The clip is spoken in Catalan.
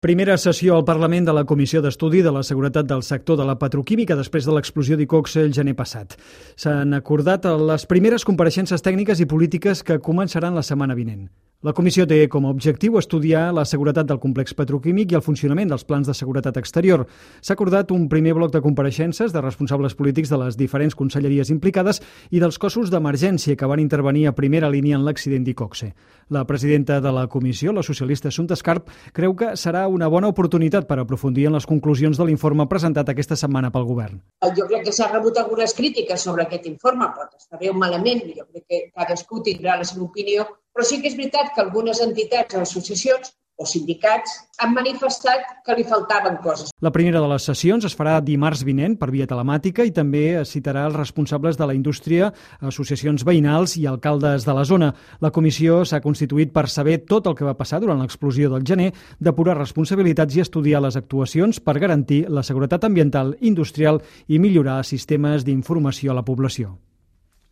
Primera sessió al Parlament de la Comissió d'Estudi de la Seguretat del Sector de la Petroquímica després de l'explosió d'Iqoxe el gener passat. S'han acordat les primeres compareixences tècniques i polítiques que començaran la setmana vinent. La comissió té com a objectiu estudiar la seguretat del complex petroquímic i el funcionament dels plans de seguretat exterior. S'ha acordat un primer bloc de compareixences de responsables polítics de les diferents conselleries implicades i dels cossos d'emergència que van intervenir a primera línia en l'accident d'Iqoxe. La presidenta de la comissió, la socialista Assumpta Escarp, creu que serà una bona oportunitat per aprofundir en les conclusions de l'informe presentat aquesta setmana pel govern. Jo crec que s'ha rebut algunes crítiques sobre aquest informe, pot estar bé o malament, jo crec que cadascú tindrà la seva opinió, però sí que és veritat que algunes entitats o associacions o sindicats han manifestat que li faltaven coses. La primera de les sessions es farà dimarts vinent per via telemàtica i també es citarà els responsables de la indústria, associacions veïnals i alcaldes de la zona. La comissió s'ha constituït per saber tot el que va passar durant l'explosió del gener, depurar responsabilitats i estudiar les actuacions per garantir la seguretat ambiental, industrial i millorar sistemes d'informació a la població.